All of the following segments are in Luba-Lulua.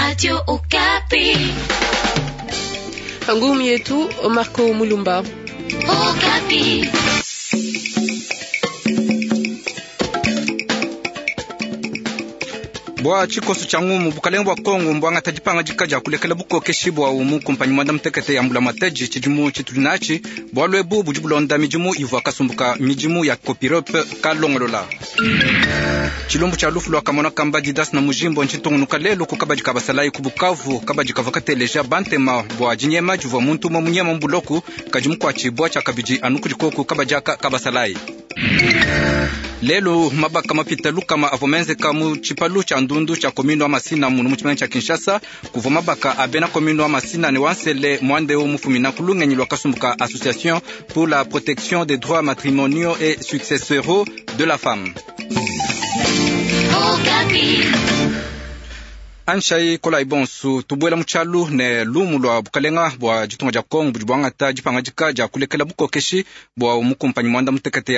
Radio Okapi. Ngumi yetu Marco Mulumba. Okapi. Bwa tshikoso tshia ngumu bukalenge bwa Kongo mbwangata dipangadika dia kulekela bukokeshi bwa umu kumpanyi mwanda mutekete ya mbulamatadi tshidimu tshitudi natshi. Bualu ebu budi bulonda midimu ivua kasumbu ka midimu ya Copirope kalongolola. Tshilumbu tshia lufu lua kamona kamba Didas na Mujimbo ntshitungunuka lelu ku kabadi ka basalayi ku Bukavu. Kabadi kavua kateleja bantema bua dinyema divua muntu umue munyema mu buloku kadi mukuatshibua tshia kabidi anu kudi koku kabadi aka ka basalayi. Lelu mabaka mapita lukama avua menzeka mu tshipalu tshia ndundu tshia commune wa Masina munu mu tshimenga tshia Kinshasa. Kuvua mabaka a bena commune wa Masina ne wa Nsele muandeu mufumina ku lungenyi lua kasumbu ka Association pour la protection des droits matrimoniaux et successoraux de la femme. Okapi. Anshai kolai bonsu tubuela mu tshialu ne lumu lua bukalenga bua ditunga dia Kongo budi buangata dipangadika dia kulekela bukokeshi bua mukumpanyi mwanda mutekete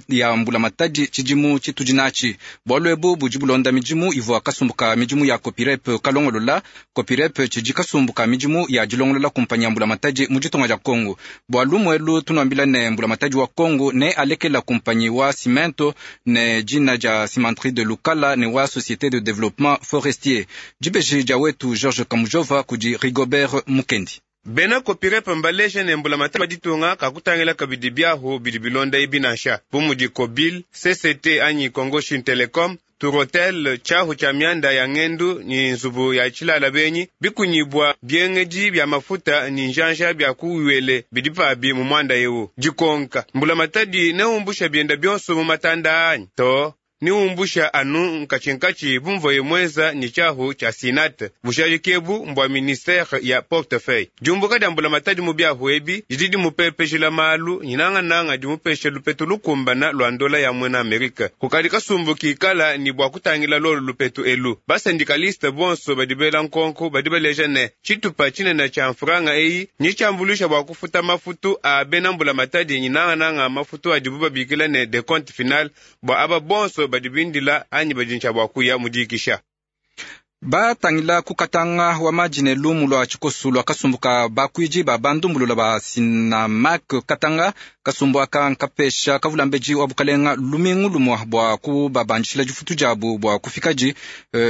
ya mbulamatadi tshidimu tshitudi natshi. Bualu ebu budi bulonda midimu ivua kasumbu ka midimu ya Copirep kalongolola. Copirep tshidi kasumbu ka midimu ya dilongolola kumpanyi ya mbulamatadi mu ditunga dia Kongo. Bua lumu elu tunuambila ne mbulamatadi wa Kongo ne alekela kumpanyi wa cimento ne dina dia Cimenterie de Lukala ne wa Société de Développement Forestier. Dibeji dia wetu George Kamujova kudi Rigobert Mukendi. Bena Copirepe mbaleje ne mbulamatadi wa ditunga kakutangila kabidi biahu bidi bilonda ebi nansha bu mudi Kobil, CCT anyi Congo Chine Telecom, Turotel, tshiahu tshia mianda ya ngendu ni nzubu ya tshilala benyi, bikunyibwa biengedi bia mafuta ni njanja bia kuwele bidi pabi mu mwanda ewu. Dikonka mbulamatadi neumbusha bienda bionso mu matanda anyi to niumbusha anu nkatshinkatshi bumvoye mweza ni tshiahu tshia sinate bushadiki ebu mbua ministere ya portefeuille. Diumbuka dia mbulamatadi mu biahu ebi didi dimupepejela malu nyinangananga dimupesha lupetu lukumbana lua ndola ya mwena Amerika. Kukadi kasumbu kikala ni bua kutangila lolu lupetu elu. Basendikaliste bonso badi bela nkonko badi baleja ne tshitupa tshinene tshia mfranga eyi ni tshiambuluisha bua kufuta mafutu a bena mbulamatadi nyinangananga mafutu adibu babikila ne decompte final bua aba bonso badi bindila anyi badi ntshia bua kuya mudikisha. Batangila kukatanga wa maji ne lumu lua tshikosu lua kasumbu ka bakuidi ba bandumbulula ba Sinamak Katanga. Kasumbu aka nkapesha kavulambedi wa bukalenga lumingu lumua bua kubabandishila difutu diabu bua kufikadi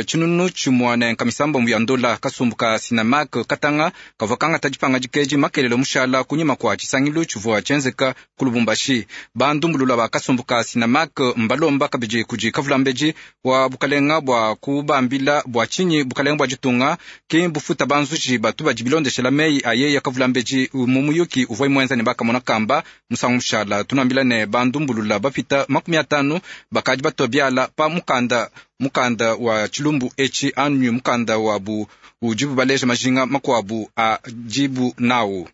tshinunu tshimua ne nkamisambombo ya ndola. Kasumbu ka Sinamak Katanga kavua kangata dipangadika edi makelele mushala kunyima kua tshisangilu tshivua tshienzeka ku Lubumbashi. Bandumbulula ba kasumbu ka Sinamak mbalomba kabidi kudi kavulambedi wa bukalenga bua kubambila bua tshinyi bukalenga bua ditunga ki bufuta banzuji batu badi bilondeshela meyi a yeya kavulambedi mu muyuki uvua muenza ne bakamona kamba musangu mushala. Tunuambila ne bandumbulula bapita 50 bakadi batua biala pa mukanda mukanda wa tshilumbu etshi anyi mukanda wabu udibu baleja majinga makuabu a dibu nawu.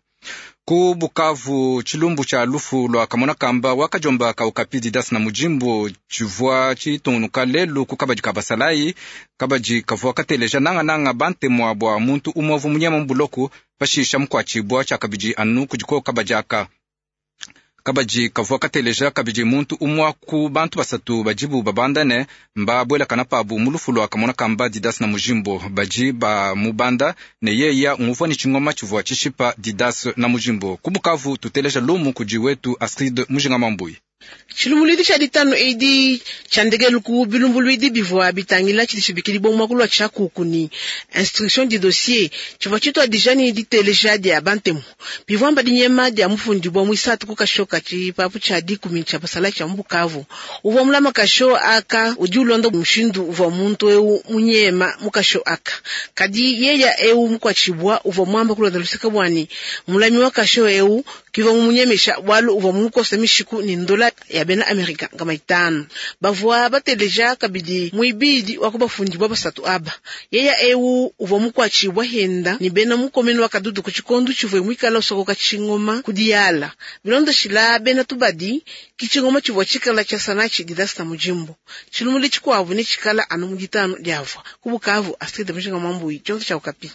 Ku Bukavu tshilumbu tshia lufu lua kamona kamba wakajomba kaukapi Didas na Mujimbo tshivua tshitungunuka lelu ku kabadi ka basalayi. Kabadi kavua kateleja nangananga bantemua bua muntu umue uvua munyema mu buloku pashisha mukuatshibua tshia kabidi anu kudi ko kabadi aka. Kabadi kavua kateleja kabidi muntu umue ku bantu basatu badibu babanda ne mbabuelakana pabu mu lufu lua kamona kamba Didas na Mujimbo. Badi ba mubanda ne yeya nguvua ne tshingoma tshivua tshishipa Didas na Mujimbo. Ku Bukavu tuteleja lumu kudi wetu Astrid Mujinga Mambui. Tshilumbuluidi tshia ditanu edi tshia ndekelu ku bilumbuluidi bivua bitangila tshidi tshibikidibua mu muakulu wa tshiakuku ne instruction du dossier tshivua tshituadija ne diteleja dia bantemu bivua mba dinyema dia mufundibua muisatu ku kasho ka tshipapu tshia dikumi tshia basalayi tshia mu Bukavu. Uvua mulama kasho aka udi ulonda mushindu uvua muntu eu munyema mu kasho aka, kadi yeya eu mukuatshibua uvua muamba kulonda luseke bua ne mulami wa kasho eu kivua mumunyemesha bualu uvua mumukosa mishiku ne ndola ya bena Amerika nkama itanu. Bavua bateleja kabidi muibidi wa kubafundibua basatu aba. Yeya eu uvua mukuatshibua henda ne bena mukomenu wa kadudu ku tshikondu tshivua muikala usokoka tshingoma ku diyala. Bilondeshila bena tubadi ki tshingoma tshivua tshikala tshia sanatshi Didas na Mujimbo. Tshilumbu tshikuabu ne tshikala anu mu ditanu diavua. Ku Bukavu, Astrid Mujinga Mwambui, tshionso tshia Okapi.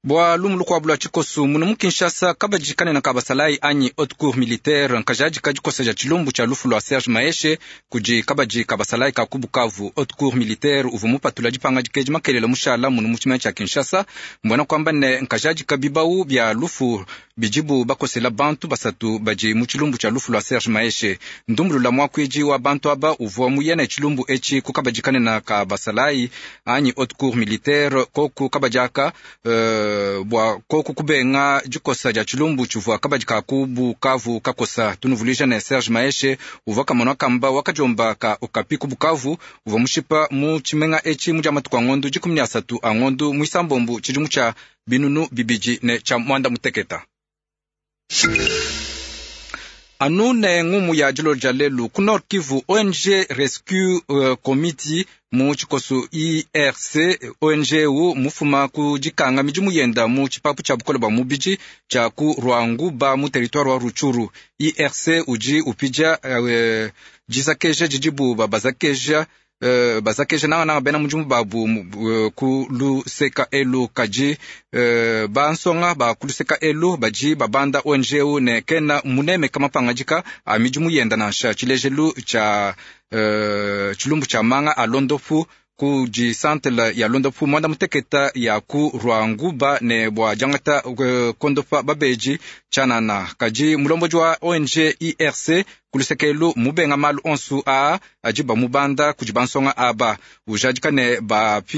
Bua lumu lukuabu lua tshikosu, munu mu Kinshasa, kabadi kanene ka basalayi anyi haute cour militaire nkajadika dikosa dia tshilumbu tshia lufu lua Serge Maheshe kudi kabadi ka basalayi ka ku Bukavu. Haute cour militaire uvua mupatula dipangadika edi makelela mushala munu mu tshimenga tshia Kinshasa. Mbuena kuamba ne nkajadika bibawu bia lufu bidibu bakosela bantu basatu badi mu tshilumbu tshia lufu lua Serge Maheshe. Ndumbulula muakuidi wa bantu aba uvua muye ne tshilumbu etshi ku kabadi kanene ka basalayi anyi haute cour militaire koku kabadi aka bua koku kubenga dikosa dia tshilumbu tshivua kabadi ka ku Bukavu kakosa. Tunuvuluija ne Serge Maheshe uvua kamona kamba wakadiomba ka Okapi ku Bukavu, uvua mushipa mu tshimenga etshi mu dia matuku a ngondu 13 a ngondu muisambombu tshidimu tshia 2019. Anu ne ngumu ya dilolo dia lelu ku Nord Kivu, ONG Rescue Committee mu tshikoso IRC, ONG u mufuma ku dikanga midimu yenda mu tshipapu tshia bukole bua mubidi tshia ku Rwanguba mu territoire wa Rutshuru. IRC udi upidia dizakeja didibu babazakeja bazakeja nangananga bena mudimu babu ku luseka elu. Kadi bansonga ba ku luseka elu badi babanda ONG u ne kena munemeka mapangadika a midimu yenda nansha. Tshilejelu tshia tshilumbu tshia manga a londopu ku disantela ya londopu mwanda muteketa ya ku Rwanguba ne bua diangata kondopa babeji tshianana. Kadi mulombodi wa ONG IRC ku luseke elu mubenga malu onsu aa adi bamubanda kudi bansonga aba, ujadika ne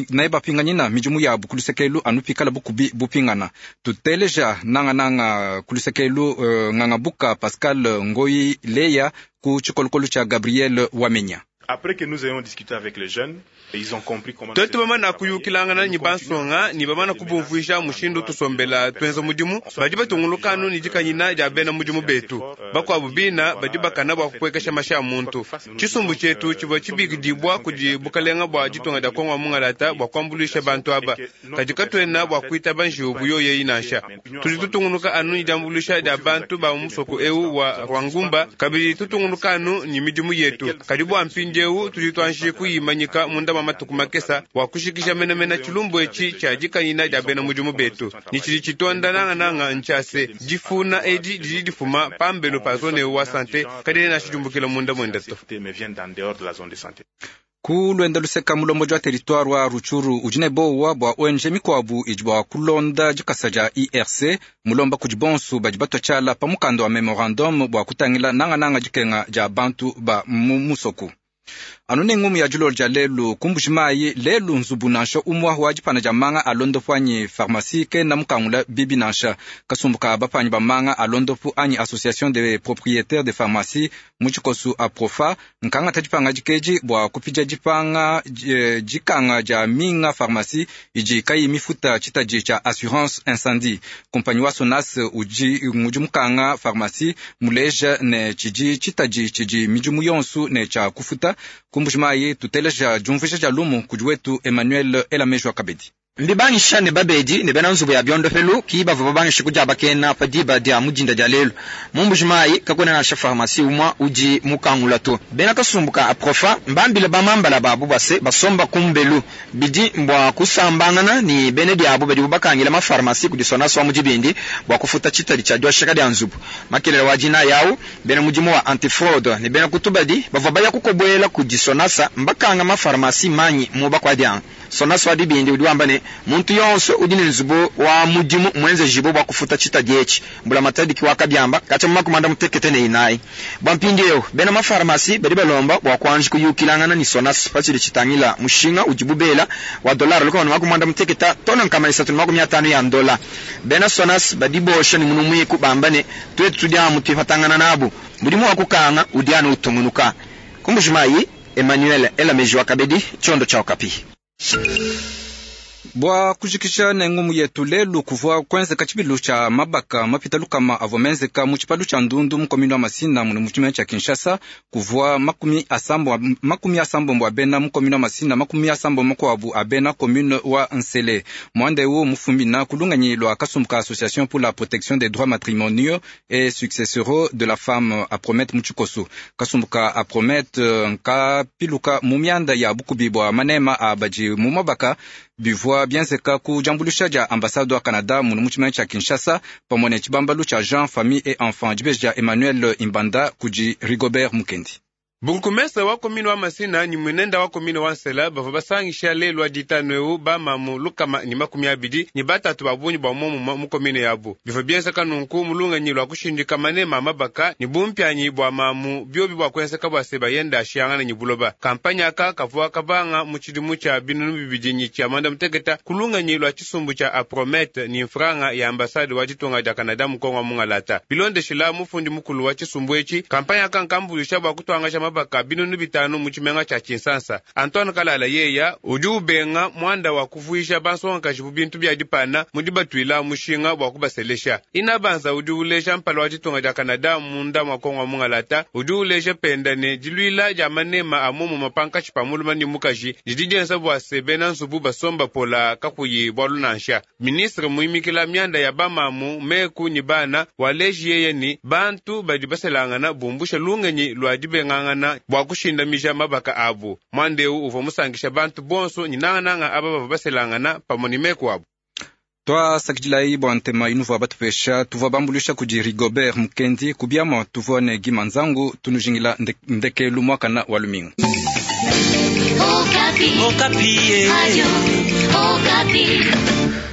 ne bapinganyina midimu yabu ku luseke elu anu pikala bukubi bupingana. Tuteleja nangananga ku luseke elu Ngangabuka Pascal Ngoyi Leya ku tshikolokolo tshia Gabriel Wamenya. Après que nous ayons discuté avec les jeunes, ils ont compris comment Twetu bamana kuyukilangana ni bansonga ni bamana kubumvuija mushindu tusombela twenza mudimu badi batungulukanu ni dikanyina dia bena mudimu betu bakuabu bina badi bakana bua kupuekesha mashi a muntu. Tshisumbu tshietu tshivua tshibikidibwa kudi bukalenga bua ditunga dia Kongo wa mungalata bua kuambuluisha bantu aba, kadi katuena bua kuitaba njiwu buyoyeyi nansha. Tudi tutunguluka anu ni diambuluisha dia bantu ba musoko eu wa Rwangumba, kabidi tutunguluka anu ni midimu yetu. Kadi bua mpindieu tudi tuanji kuyimanyika munda mwa matuku makesa bua kushikisha menamena tshilumbu etshi tshia dikanyina dia bena mudimu betu. Ni tshidi tshitonda nangananga ntshia se difuna edi didi difuma pambelu pa zone wa sante kadi nashijumbukila munda mwenda to. Mais viennent d'en dehors de la zone de santé. Ku luenda luseka mulombodi wa territoire wa Rutshuru udi ne bowa bua ONG mikuabu idi bua kulonda dikasa dia IRC, mulomba kudi bonsu badi batua tshiala pa mukanda wa memorandum bua kutangila nangananga dikenga dia bantu ba mu musoku. Anu ne ngumu ya dilolo dia lelu ku Mbujimayi, lelu nzubu nansha umua wa dipana dia manga a londopu anyi pharmacie kena mukangula bibi nansha. Kasumbu ka bapanyi ba manga a londopu anyi association des propriétaires de pharmacie mu tshikosu aprofa nkangata dipanga dikeji bua kupidia dipanga dikanga dia minga pharmacie idi kayi mifuta tshitadi tshia assurance incendie. Kompanyi wa Sonas udi ngudi mukanga pharmacie muleja ne tshidi tshitadi tshidi midimu yonsu ne tshia kufuta. Ku Mbujimayi tuteleja diumvuija dia lumu kudi wetu Emmanuel Elamejwa Kabedi. Mbibangisha ne babedi ne bena nzubu ya biondopelu ki bavua babangisha kudia bakena pa diba dia mudinda dia lelu mu Mbujimayi kakuena nansha pharmacie umua udi mukangula to. Bena kasumbu ka aprofa mbambile bamambala babu base basomba kumbelu bidi mbua kusambangana ni bene diabu badibu bakangila mafarmasi kudi Sonas wa mudibindi bua kufuta tshitadi tshia diosheka dia nzubu. Makelele wa dina yawu bena mudimu wa antifraude ne bena kutubadi bavua baya kukobuela kudi Sonasa mbakanga mafarmasi manyi mu bakuadianga. Sonas wa dibindi udi wamba ne muntu yonso udi ne nzubu wa mudimu mwenze jibo bua kufuta tshitadi etshi. Mbula matadi ki wakabiamba katshia mu makumanda mutekete ne inayi. Bua mpindieu bena mafarmasi badi balomba bua kuanji kuyukilangana ni Sonas patshidi tshitangila mushinga udibu bela wa dollar lukama ne makumanda muteketa tona nkama isatu ne makumi atanu ya ndola. Bena Sonas badi bosha ne munu muiku bamba ne tuetu tudi amu tuipatangana nabu. Mudimu wa kukanga udi anu utungunuka. Ku Mbujimayi, Emmanuel Elameji wa Kabedi, tshiondo tshia Okapi. Bua kujikisha ne ngumu yetu lelu kuvua kuenzeka tshibilu tshia mabaka mapita lukama avua menzeka mu tshipalu tshia Ndundu mu commune wa Masina mune mu tshimenga tshia Kinshasa. Kuvua 80 a bena mu commune wa Masina, 80 makuabu a bena commune wa Nsele. Mwanda eu mufumina ku lungenyi lua kasumbu ka Association pour la protection des droits matrimoniaux et successoraux de la femme Apromet mu tshikosu. Kasumbu ka Apromet nkapiluka mu mianda ya bukubi bua manema a badi mu mabaka. Bivua bienzeka ku diambuluisha dia ambassade wa Canada munu mu tshimenga tshia Kinshasa pamue ne tshibambalu tshia Genre, Famille et Enfants. Dibeji dia Emmanuel Imbanda kudi Rigobert Mukendi. Burgomestre wa commune wa Masina ni mwenenda wa commune wa Nsela bavua basangisha lelu wa ditanu eu bamamu 223 ba bungi bua momumue mu commune yabu. Bivua bienzeka nunku mu lungenyi lua kushindika manema a mabaka ni bumpianyi bua mamu biobi bua kuenzeka bua se bayenda ashiyangana ni buloba. Kampanya aka kavua kabanga mu tshidimu tshia 2016 ku lungenyi lua tshisumbu tshia Apromete ni mfranga ya ambassade wa ditunga dia Canada mu Kongo wa Mungalata. Bilondeshila mufundi mukulu wa tshisumbu etshi, kampanya aka nkambuluisha bua kutuangaja mabaka 5,000 mu tshimenga tshia Tshinsansa. Antoine Kalala yeya udi ubenga mwanda wa kuvuisha bansongakaji bu bintu bia dipana mu dibatuila mushinga bua kubaselesha. Ina banza udi uleja mpala wa ditunga dia Canada munda mua Kongo wa Mungalata, udi uleja penda ne diluila dia manema a momumue pankatshi pa mulume ne mukaji didi dienza bua se bena nzubu basomba pola kakuyi bualu nansha. Ministre muimikila mianda ya bamamu meku ni bana waleji yeye ni bantu badi baselangana bumbusha lungenyi lua dibengangana bua kushindamija mabaka abu. Mwanda eu uvua musangisha bantu bonso ni nangananga aba bavua baselangana pamue ni meku abu. Twasakidilayi bua ntema inuvua batupesha. Tuvua bambuluisha kudi Rigobert Mukendi kubiamua, tuvua ne Gima Nzangu tunujingila ndekelu mwakana wa lumingu. Okapi. Okapi. Radio Okapi.